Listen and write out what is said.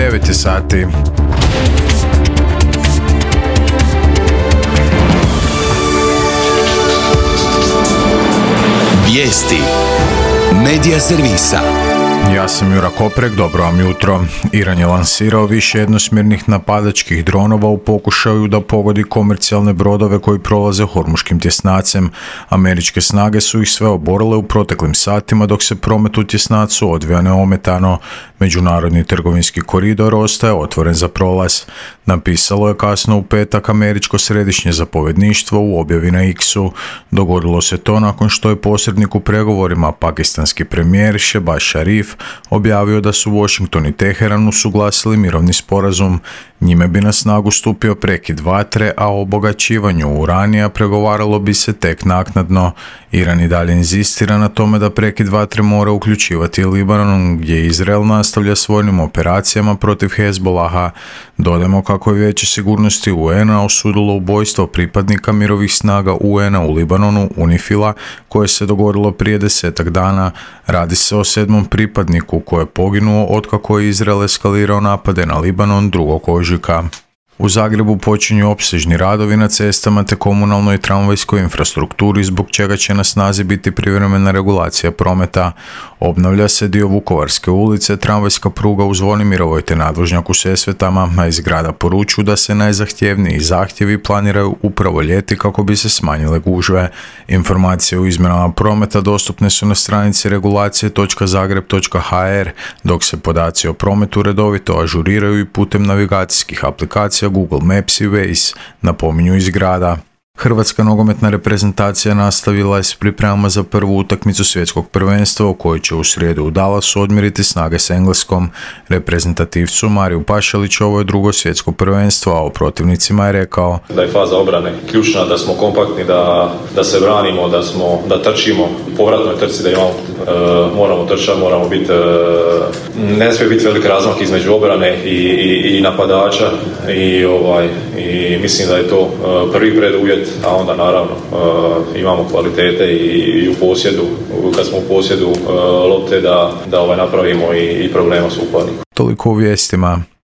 9 je sati. Vijesti Medija servisa. Ja sam Jura Koprek, dobro vam jutro. Iran je lansirao više jednosmjernih napadačkih dronova u pokušaju da pogodi komercijalne brodove koji prolaze Hormuškim tjesnacem. Američke snage su ih sve oborile u proteklim satima dok se promet u tjesnacu odvija neometano. Međunarodni trgovinski koridor ostaje otvoren za prolaz. Napisalo je kasno u petak američko središnje zapovjedništvo u objavi na X-u. Dogodilo se to nakon što je posrednik u pregovorima pakistanski premijer Shehbaz Sharif objavio da su Washington i Teheran usuglasili mirovni sporazum. Njime bi na snagu stupio prekid vatre, a o obogaćivanju uranija pregovaralo bi se tek naknadno. Iran i dalje inzistira na tome da prekid vatre mora uključivati Libanon, gdje Izrael nastavlja s vojnim operacijama protiv Hezbolaha. Dodajmo kako je Vijeće sigurnosti UN-a osudilo ubojstvo pripadnika mirovih snaga UN-a u Libanonu, UNIFIL-a, koje se dogodilo prije 10 dana. Radi se o 7. pripadniku koji je poginuo otkako je Izrael eskalirao napade na Libanon 2. ožujka. U Zagrebu počinju opsežni radovi na cestama te komunalnoj i tramvajskoj infrastrukturi, zbog čega će na snazi biti privremena regulacija prometa. Obnavlja se dio Vukovarske ulice, tramvajska pruga u Zvonimirovoj te nadvožnjak u Sesvetama, a iz grada poručuju da se najzahtjevniji zahtjevi planiraju upravo ljeti kako bi se smanjile gužve. Informacije o izmjenama prometa dostupne su na stranici regulacije.zagreb.hr, dok se podaci o prometu redovito ažuriraju i putem navigacijskih aplikacija Google Maps i Waze, napominju iz grada. Hrvatska nogometna reprezentacija nastavila je s pripremama za prvu utakmicu svjetskog prvenstva u kojoj će u srijedu u Dallasu odmjeriti snage s Engleskom. Reprezentativcu Mariju Pašaliću ovo je drugo svjetsko prvenstvo, a o protivnicima je rekao da je faza obrane ključna, da smo kompaktni, da se branimo, da trčimo u povratnoj trci, da moramo trčati, moramo biti, ne smije biti velik razmak između obrane i napadača i mislim da je to prvi preduvjet, a onda naravno imamo kvalitete i u posjedu, kad smo u posjedu lopte da napravimo i problema s upadnikom. Toliko u vijestima.